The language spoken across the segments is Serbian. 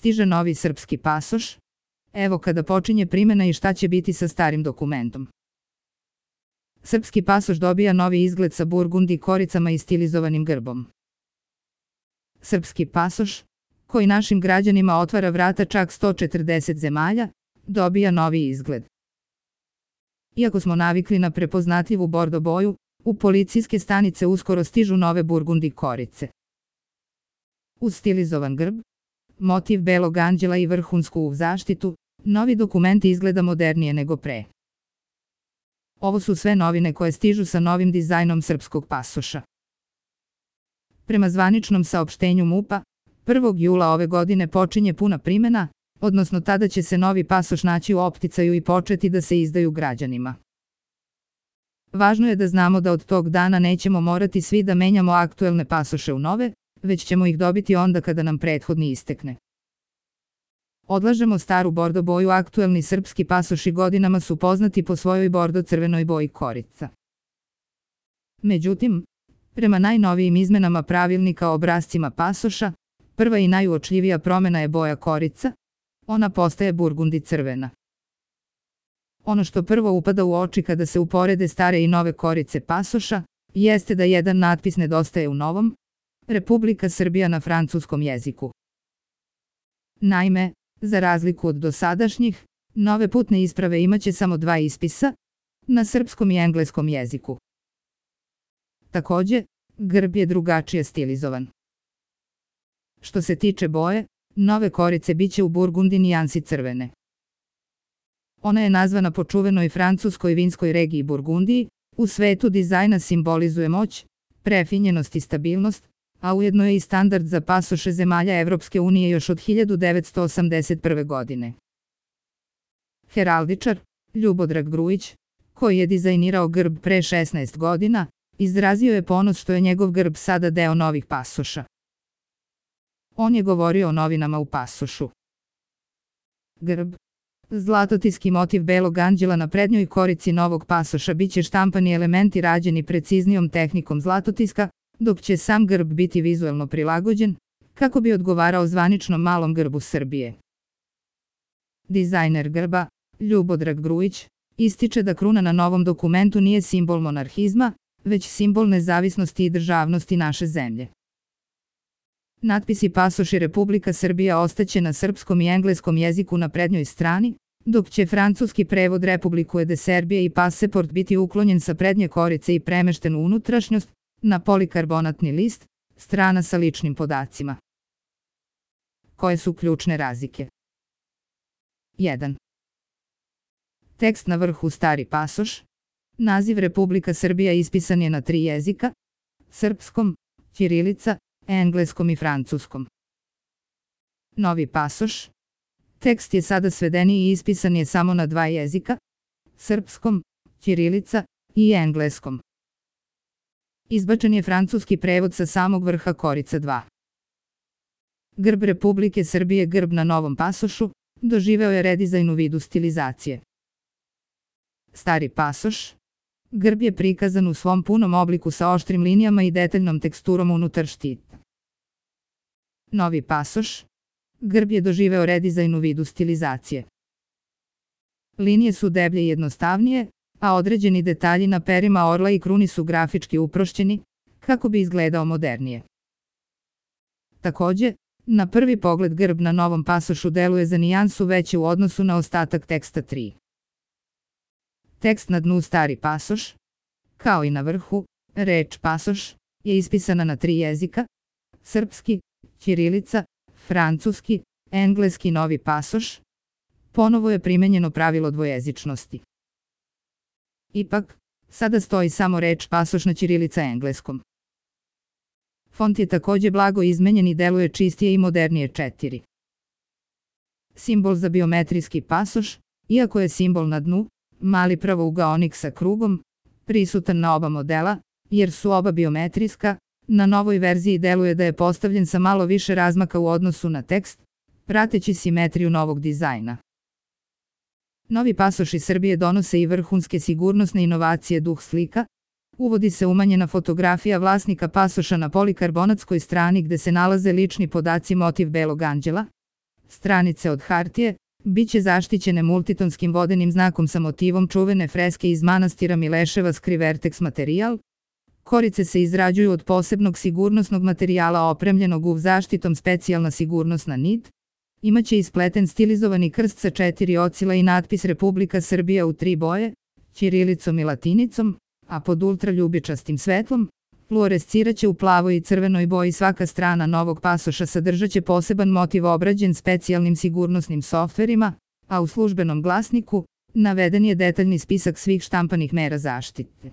stiže novi srpski pasoš. Evo kada počinje primjena i šta će biti sa starim dokumentom. Srpski pasoš dobija novi izgled sa burgundi koricama i stilizovanim grbom. Srpski pasoš, koji našim građanima otvara vrata čak 140 zemalja, dobija novi izgled. Iako smo navikli na prepoznatljivu bordo boju, u policijske stanice uskoro stižu nove burgundi korice. Uz stilizovan grb, motiv belog anđela i vrhunsku zaštitu, novi dokument izgleda modernije nego pre. Ovo su sve novine koje stižu sa novim dizajnom srpskog pasoša. Prema zvaničnom saopštenju MUP-a, 1. jula ove godine počinje puna primjena, odnosno tada će se novi pasoš naći u opticaju i početi da se izdaju građanima. Važno je da znamo da od tog dana nećemo morati svi da menjamo aktuelne pasoše u nove, već ćemo ih dobiti onda kada nam prethodni istekne. Odlažemo staru bordo boju, aktuelni srpski pasoši godinama su poznati po svojoj bordo-crvenoj boji korica. Međutim, prema najnovijim izmenama pravilnika o obrascima pasoša, prva i najuočljivija promjena je boja korica, ona postaje burgundi crvena. Ono što prvo upada u oči kada se uporede stare i nove korice pasoša, jeste da jedan natpis nedostaje u novom, Republika Srbija na francuskom jeziku. Naime, za razliku od dosadašnjih, nove putne isprave imaće samo dva ispisa, na srpskom i engleskom jeziku. Takođe, grb je drugačije stilizovan. Što se tiče boje, nove korice biće u burgundi nijansi crvene. Ona je nazvana po čuvenoj francuskoj vinskoj regiji Burgundiji, u svetu dizajna simbolizuje moć, prefinjenost i stabilnost, a ujedno je i standard za pasoše zemalja Evropske unije još od 1981. godine. Heraldičar, Ljubodrag Grujić, koji je dizajnirao grb pre 16 godina, izrazio je ponos što je njegov grb sada deo novih pasoša. On je govorio o novinama u pasošu. Grb, zlatotiski motiv belog anđela na prednjoj korici novog pasoša biće štampani elementi rađeni preciznijom tehnikom zlatotiska, dok će sam grb biti vizuelno prilagođen, kako bi odgovarao zvaničnom malom grbu Srbije. Dizajner grba, Ljubodrag Grujić, ističe da kruna na novom dokumentu nije simbol monarhizma, već simbol nezavisnosti i državnosti naše zemlje. Natpisi pasoši Republika Srbija ostaće na srpskom i engleskom jeziku na prednjoj strani, dok će francuski prevod Republiku de Serbije i paseport biti uklonjen sa prednje korice i premešten u unutrašnjost, na polikarbonatni list, strana sa ličnim podacima. Koje su ključne razlike? 1. Tekst na vrhu stari pasoš. Naziv Republika Srbija ispisan je na 3 jezika, srpskom, ćirilica, engleskom i francuskom. Novi pasoš. Tekst je sada svedeniji i ispisan je samo na 2 jezika, srpskom, ćirilica i engleskom. Izbačen je francuski prevod sa samog vrha korica 2. Grb Republike Srbije, grb na novom pasošu, doživeo je redizajn u vidu stilizacije. Stari pasoš. Grb je prikazan u svom punom obliku sa oštrim linijama i detaljnom teksturom unutar štita. Novi pasoš. Grb je doživeo redizajn u vidu stilizacije. Linije su deblje i jednostavnije, a određeni detalji na perima orla i kruni su grafički uprošćeni, kako bi izgledao modernije. Takođe, na prvi pogled grb na novom pasošu deluje za nijansu veće u odnosu na ostatak teksta 3. Tekst na dnu stari pasoš, kao i na vrhu, reč pasoš, je ispisana na 3 jezika, srpski, ćirilica, francuski, engleski. Novi pasoš. Ponovo je primenjeno pravilo dvojezičnosti. Ipak, sada stoji samo reč pasoš na ćirilica engleskom. Font je takođe blago izmenjen i deluje čistije i modernije 4. Simbol za biometrijski pasoš, iako je simbol na dnu, mali pravougaonik sa krugom, prisutan na oba modela, jer su oba biometrijska, na novoj verziji deluje da je postavljen sa malo više razmaka u odnosu na tekst, prateći simetriju novog dizajna. Novi pasoši Srbije donose i vrhunske sigurnosne inovacije duh slika. Uvodi se umanjena fotografija vlasnika pasoša na polikarbonatskoj strani gde se nalaze lični podaci motiv belog anđela. Stranice od hartije biće zaštićene multitonskim vodenim znakom sa motivom čuvene freske iz manastira Mileševa Skrivertex materijal. Korice se izrađuju od posebnog sigurnosnog materijala opremljenog UV zaštitom specijalna sigurnosna nit. Imaće ispleten stilizovani krst sa 4 ocila i natpis Republika Srbija u 3 boje, ćirilicom i latinicom, a pod ultraljubičastim svetlom. Fluoresciraće u plavoj i crvenoj boji. Svaka strana novog pasoša sadržaće poseban motiv obrađen specijalnim sigurnosnim softverima, a u službenom glasniku naveden je detaljni spisak svih štampanih mera zaštite.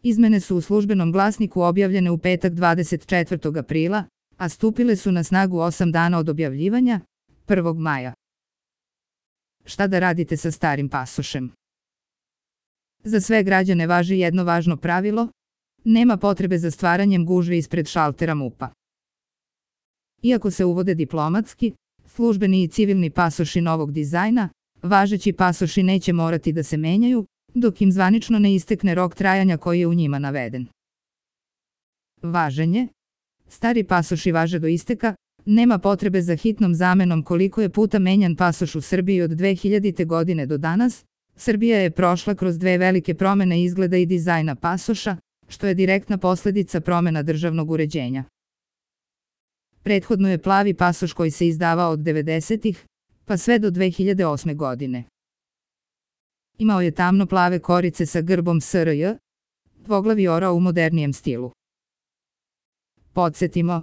Izmene su u službenom glasniku objavljene u petak 24. aprila, a stupile su na snagu 8 dana od objavljivanja, 1. maja. Šta da radite sa starim pasošem? Za sve građane važi jedno važno pravilo: nema potrebe za stvaranjem gužve ispred šaltera MUP-a. Iako se uvode diplomatski, službeni i civilni pasoši novog dizajna, važeći pasoši neće morati da se menjaju, dok im zvanično ne istekne rok trajanja koji je u njima naveden. Važenje. Stari pasoši važe do isteka, nema potrebe za hitnom zamenom. Koliko je puta menjan pasoš u Srbiji od 2000. godine do danas, Srbija je prošla kroz 2 velike promene izgleda i dizajna pasoša, što je direktna posledica promena državnog uređenja. Prethodno je plavi pasoš koji se izdavao od 90-ih, pa sve do 2008. godine. Imao je tamno plave korice sa grbom SRJ, dvoglavi orao u modernijem stilu. Podsjetimo,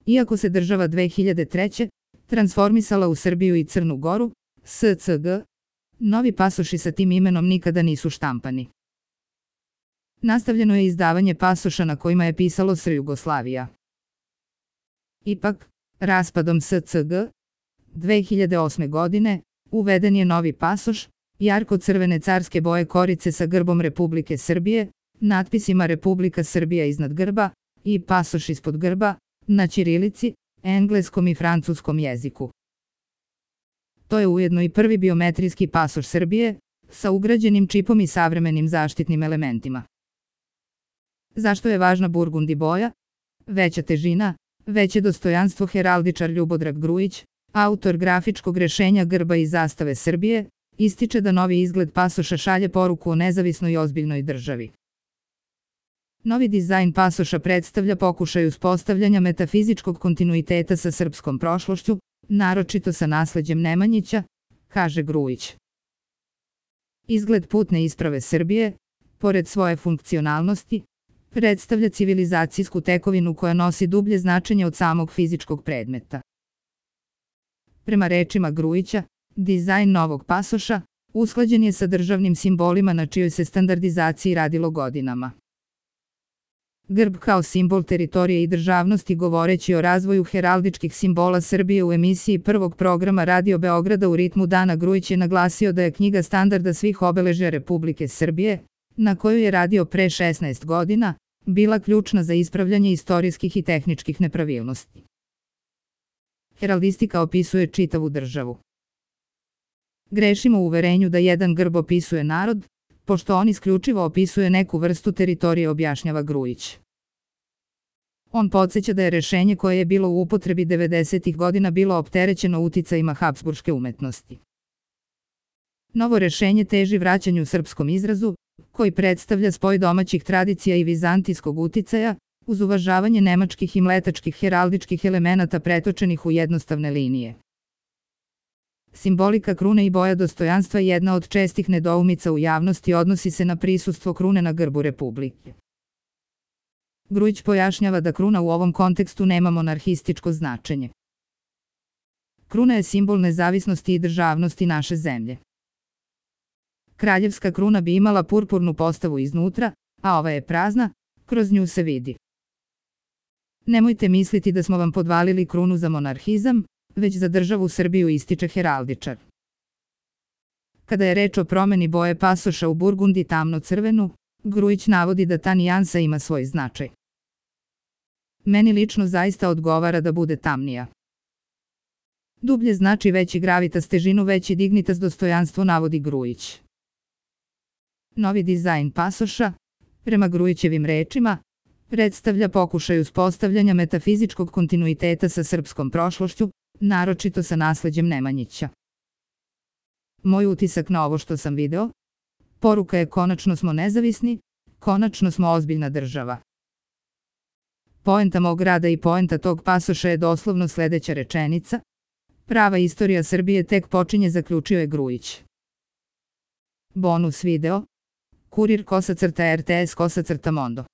iako se država 2003. transformisala u Srbiju i Crnu Goru, SCG, novi pasoši sa tim imenom nikada nisu štampani. Nastavljeno je izdavanje pasoša na kojima je pisalo SR Jugoslavija. Ipak, raspadom SCG, 2008. godine, uveden je novi pasoš, jarko-crvene carske boje korice sa grbom Republike Srbije, natpisima Republika Srbija iznad grba i pasoš ispod grba, na ćirilici, engleskom i francuskom jeziku. To je ujedno i prvi biometrijski pasoš Srbije, sa ugrađenim čipom i savremenim zaštitnim elementima. Zašto je važna burgundi boja? Veća težina, veće dostojanstvo. Heraldičar Ljubodrag Grujić, autor grafičkog rešenja grba i zastave Srbije, ističe da novi izgled pasoša šalje poruku o nezavisnoj i ozbiljnoj državi. Novi dizajn pasoša predstavlja pokušaj uspostavljanja metafizičkog kontinuiteta sa srpskom prošlošću, naročito sa nasleđem Nemanjića, kaže Grujić. Izgled putne isprave Srbije, pored svoje funkcionalnosti, predstavlja civilizacijsku tekovinu koja nosi dublje značenje od samog fizičkog predmeta. Prema rečima Grujića, dizajn novog pasoša usklađen je sa državnim simbolima na čijoj se standardizaciji radilo godinama. Grb kao simbol teritorije i državnosti. Govoreći o razvoju heraldičkih simbola Srbije u emisiji prvog programa Radio Beograda U ritmu dana, Grujić je naglasio da je knjiga standarda svih obeležja Republike Srbije, na koju je radio pre 16 godina, bila ključna za ispravljanje istorijskih i tehničkih nepravilnosti. Heraldistika opisuje čitavu državu. Grešimo u uverenju da jedan grb opisuje narod, pošto on isključivo opisuje neku vrstu teritorije, objašnjava Grujić. On podsjeća da je rešenje koje je bilo u upotrebi 90-ih godina bilo opterećeno uticajima habsburške umetnosti. Novo rešenje teži vraćanju srpskom izrazu, koji predstavlja spoj domaćih tradicija i vizantijskog uticaja, uz uvažavanje nemačkih i mletačkih heraldičkih elemenata pretočenih u jednostavne linije. Simbolika krune i boja dostojanstva, jedna od čestih nedoumica u javnosti, odnosi se na prisustvo krune na grbu Republike. Grujić pojašnjava da kruna u ovom kontekstu nema monarhističko značenje. Kruna je simbol nezavisnosti i državnosti naše zemlje. Kraljevska kruna bi imala purpurnu postavu iznutra, a ova je prazna, kroz nju se vidi. Nemojte misliti da smo vam podvalili krunu za monarhizam, već za državu Srbiju, ističe heraldičar. Kada je reč o promeni boje pasoša u burgundi tamno-crvenu, Grujić navodi da ta nijansa ima svoj značaj. Meni lično zaista odgovara da bude tamnija. Dublje znači veći gravitas, težinu, veći dignitas, dostojanstvo, navodi Grujić. Novi dizajn pasoša, prema Grujićevim rečima, predstavlja pokušaj uspostavljanja metafizičkog kontinuiteta sa srpskom prošlošću, naročito sa nasleđem Nemanjića. Moj utisak na ovo što sam video? Poruka je konačno smo nezavisni, konačno smo ozbiljna država. Poenta mog rada i poenta tog pasoša je doslovno sledeća rečenica. Prava istorija Srbije tek počinje, zaključio je Grujić. Bonus video. Kurir _RTS_Mondo